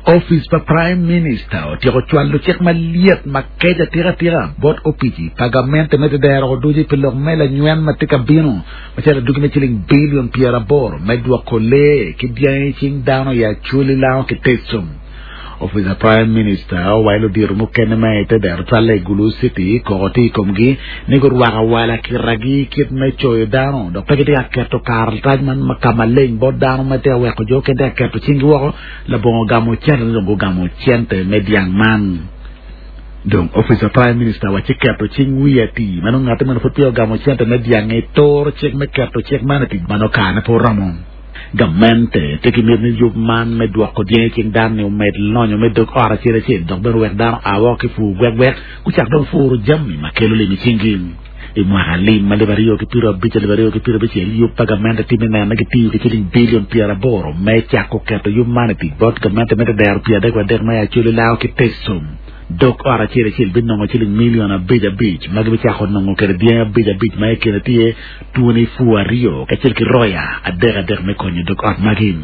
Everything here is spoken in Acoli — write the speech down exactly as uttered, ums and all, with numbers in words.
Office pa Prime Minister otyeko cwalo cik maliet ma keca tika tika bot opici pa gamente me tedero oduci pi lok me lanywen ma tye ka bino macalo adugi me ciling bilion pyeraboro me dwoko lee ki dyangi cing dano i Acholi Lango ki Teso. Office pa Prime Minister owaco ludito mukene ma i tedero cwale i Gulu City koko tye i komgi ni gurwako awala kiragi kit me coyo dano dok pe gitye ka keto karatac man ma ka maleng bot dano ma tye ka weko jo okene tye ka keto cinggi woko labongo gamo cente ni dong gugamo cente me dyang man. Dong Office pa Prime Minister wacci keto cing wiye ati ma nongo ngati meno pud peya ogamo cente me dyangi turo cik me keto cik man i tic ma nongo karene pe oromo. Gamente tye ki miti ni yub man me dwoko dyangi cing dano ni omed lonyo me dog ot acel acel dok bene owek dano a woko ki pur gwekgwek gucak dong puro jami ma kelo lim i cinggi. I mwaka lim alip aryo ki piero abic alip aryo ki piero abicel yub pa gamente tye me neno ni gitiyo ki ciling bilion pyeraboro me cako keto yub man i tic bot gamente me tedero pyera adek wadek ma i Acholi Lango ki Teso. Dog ot acel acel binongo ciling milion abic abic ma gibicako nongo kwede dyangi abic abic ma i kine tye twoni pur aryo kacel ki roya adek adek me konyo dog ot magi.